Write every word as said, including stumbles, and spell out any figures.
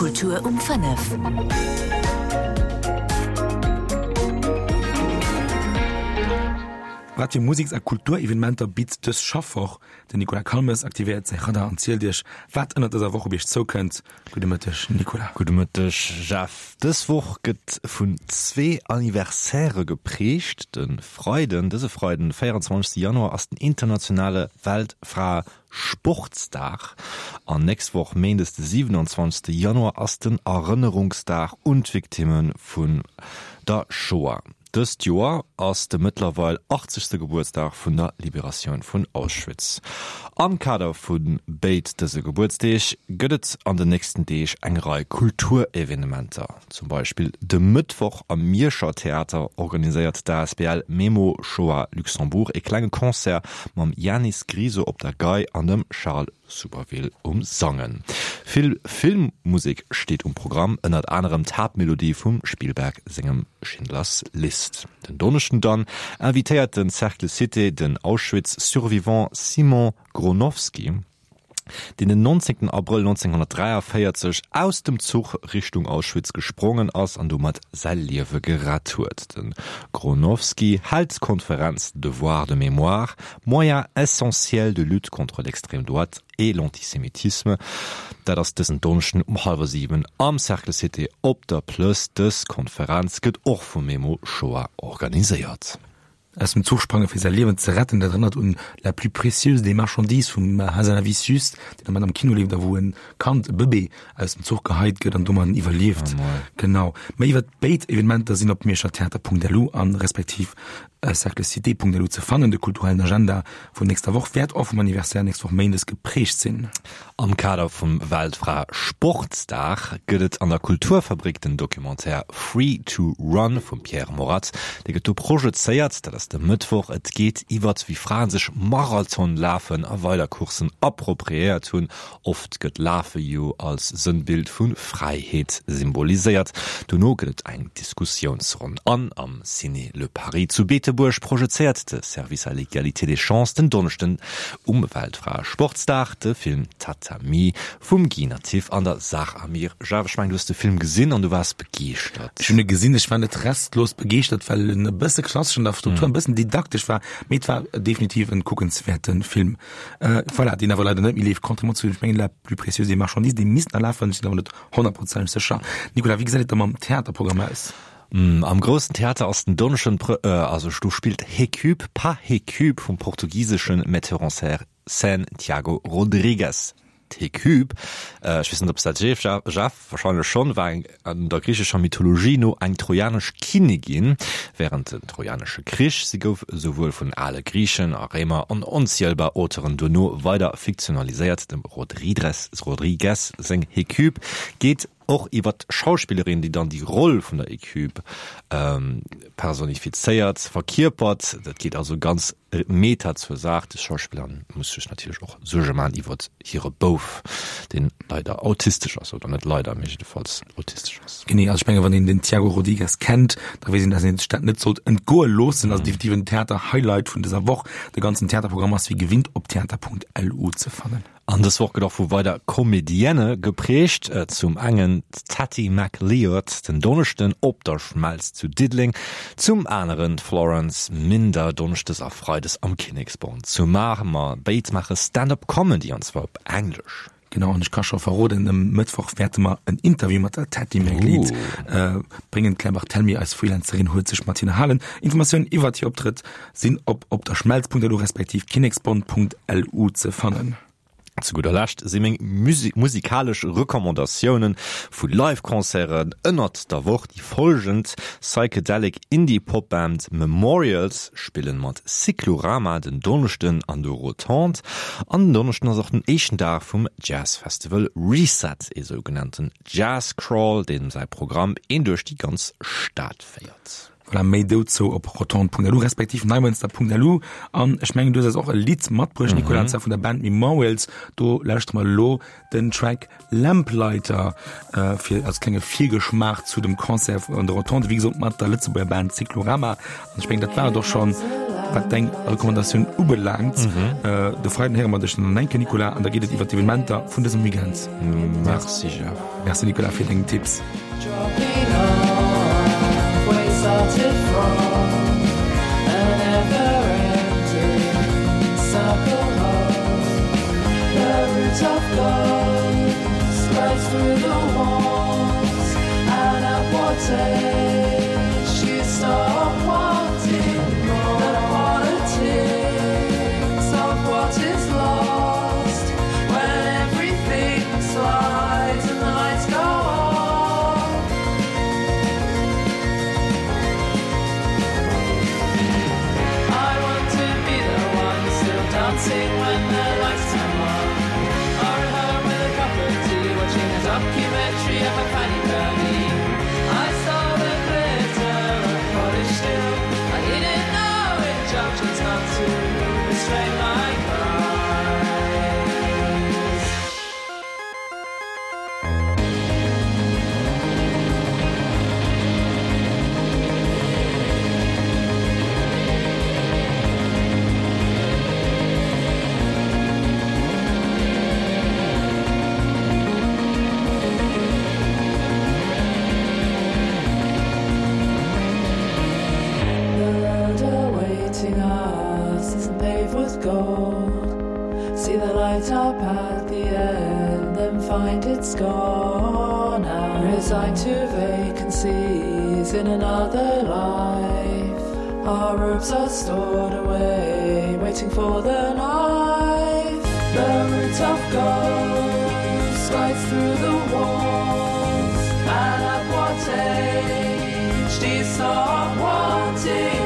Kultur um fënnef. Wat fir Museks a Kulturevenementer bitt dës Schaffwoch? Den Nicolas Calmes aktivéiert säi Radar an zielt iech, wat ënnert dëser Woch op iech zoukënnt. Gudde Mëtteg, Nicolas. Gudde Mëtteg, Jeff. Dës Woch gëtt vun zwee Anniversairë geprägt. De Freiden, dëse Freiden, de véierenzwanzegste Januar, ass den internationale Weltfraesportsdag an nächst Woch Méindes, de siwenanzwanzegste Januar, ass den Erënnerungsdag un d'Victimme vun der Shoah. Dëst Joer ass de mëttlerweil achtzegste Gebuertsdag vun der Liberatioun vun Auschwitz. Am Kader vu béid dëse Gebuertsdeeg gëtt et an den nächsten Deeg eng Rei Kulturevenementer. Zum Beispill de Mëttwoch am Mierscher Theater organiséiert d'A S B L Memo Shoah Luxembourg e klenge Concert mam Janis Griso op der Gei an dem Charles Souberville um Sangen. Vill Filmmusek steet um Programm, ënnert anerem d'Haaptmelodie vum Spielberg sengem Schindlers List. Den Donneschden dann invitéiert den Cercle Cité den Auschwitz-Survivant Simon Gronowski, deen den nonzéngten Abrëll nonzénghonnertdräiavéierzeg aus dem Zuch Richtung Auschwitz gesprongen ass an domat säi Liewe gerett huet. De Gronowski hält d'Konferenz Devoir de mémoire, moyen essentiel de lutte contre l'extrême droite et l'antisémitisme. Dat ass dësen Donneschden um hallwer siwen am Cercle Cité op der Plëss. Dës Konferenz gëtt och vum Memo Shoah organiséiert. Aus dem Zuch sprange fir säi Liewen ze retten, dat erënnert un La plus précieuse des marchandises vum Hazanavicius, deen am Moment am Kino leeft a wou e Kand, e Bëbee, aus dem Zuch geheit gëtt an domadden iwwerlieft. Genau. Méi iwwer béid Evenementer sinn op mierschertheater Punkt L U an respektiv cerclecité Punkt L U ze fannen. De kulturellen Agenda vun nächster Woch wäert och vum Anniversaire nächst Woch méindes geprägt sinn. Am Kader vum Weltfraesportsdag gëtt et an der Kulturfabrik den Documentaire Free to Run vum Pierre Morath. Dee gëtt do projezéiert, dat ass de Mëttwoch. Et geet iwwert wéi Fraen sech Marathon lafen a weider Courssen appropriéiert hunn. Oft gëtt Lafe jo als Sënnbild vu Fräiheet symboliséiert. Dono gëtt et eng Diskussiounsronn. An am Ciné Le Paris zu Beetebuerg projezéiert de Service à l'égalité des chances den Donneschden um Weltfraesportsdag de Film Tatami vum Guy Nattiv an der Sarah Amir. Jeff, ech mengen, du hues de Film gesinn an du waars begeeschtert. Ech hunn e gesinn, ech war net restlos begeeschtert, well en e bësse klassesch an der Struktur, e bëssen didaktesch war, mee et war definitiv en kuckenswäerte Film. Voilà, deen awer leider net méi leeft, contrairement zu, ech mengen, La plus précieuse des marchandises, dee misst nach lafen, ech sinn awer net honnertprozenteg sécher. Nicolas, wéi gesäit et da mam Theaterprogramm aus? Am Groussen Theater ass den Donneschden, also do spillt Hécube pa Hécube vum portugisesche Metteur en scène Tiago Rodrigues. D'Hécube, ech weess net, ob s dat seef, Jeff, warscheinlech schonn, war eng an der griichescher Mythologie no eng trojanesch Kinnigin wärend den Trojanesche Krich. Si gouf esouwuel vun ale Griichen a Réimer an onzielbar Auteuren duerno weider fiktionaliséiert. Dem Rodridres Rodrigues seng Hécube geet och iwwer d'Schauspillerin, déi dann déi Roll vun der Hécube personifizéiert, verkierpert. Dat geet also ganz meta zur Saach. Des Schauspillerin muss sech natierlech och Suerge maachen iwwer hire Bouf, deen leider autistesch ass, oder net leider, mee jiddefalls autistesch ass. Genee, also ech menge wann een den Tiago Rodrigues kennt, da weess een, dass een sech dat net sollt entgoe loossen. Ass definitiv en Theater-Highlight vun dëser Woch. De ganzen Theaterprogramm ass wéi gewinnt op theater Punkt L U ze fannen. An dës Woch gëtt och vu weider Comedienne geprägt. Zum engen d'Tati McLeod den Donneschden op der Schmelz zu Diddeleng, zum aneren d'Florence Minder donneschdes a freides am Kinneksbond zu Mamer. Béid maache Stand-up Comedy, an zwar op Englesch. Genau, an ech ka scho verroden, e Mëttwoch wäerte mer en Interview mat der Tati McLeod bréngen. D'Claire Barthelmy, eis Freelancerin, huet sech mat hinne halen. Informatiounen iwwert hir Optrëtt sinn op opderschmelz Punkt L U respektiv kinneksbond Punkt L U ze fannen. Zu gudder Lescht si meng musikalesch Recommandatioune vu Live-Concerten ënnert der Woch déi follgend: Psychedelic Indie-Pop-Band Memorials spillen mat Cyclorama den Donneschden an der Rotonde. An den Donneschden ass och den éischten Dag vum Jazzfestival Reset, ee sougenannten Jazz-Crawl, deen säi Programm een duerch déi ganz Stad féiert. Voilà, méi dozou op rotonde Punkt L U respektiv neimënster Punkt L U. An ech mengen, du hues eis och e Lidd matbruecht, Nicolas, an zwar vun der Band Memorials. Do lauschtere mer elo den Track Lamplighter äh, fir als klenge Virgeschmaach zu dem Concert an der Rotonde, wéi gesot mat der Lëtzebuerger Band Cyclorama. An ech mengen, dat war et och schonn. wat deng Recommandatioun ubelaangt. De Freiden héiere mer dech dann nach eng Kéier, Nicolas, an da geet et iwwer d'Evenementer vun dësem Weekend. Merci Jeff. Merci Nicolas fir deng Tipps. See the light up at the end, then find it's gone and resign to vacancies in another life. Our robes are stored away, waiting for the knife. The root of ghosts slides through the walls, and at what age do you stop wanting?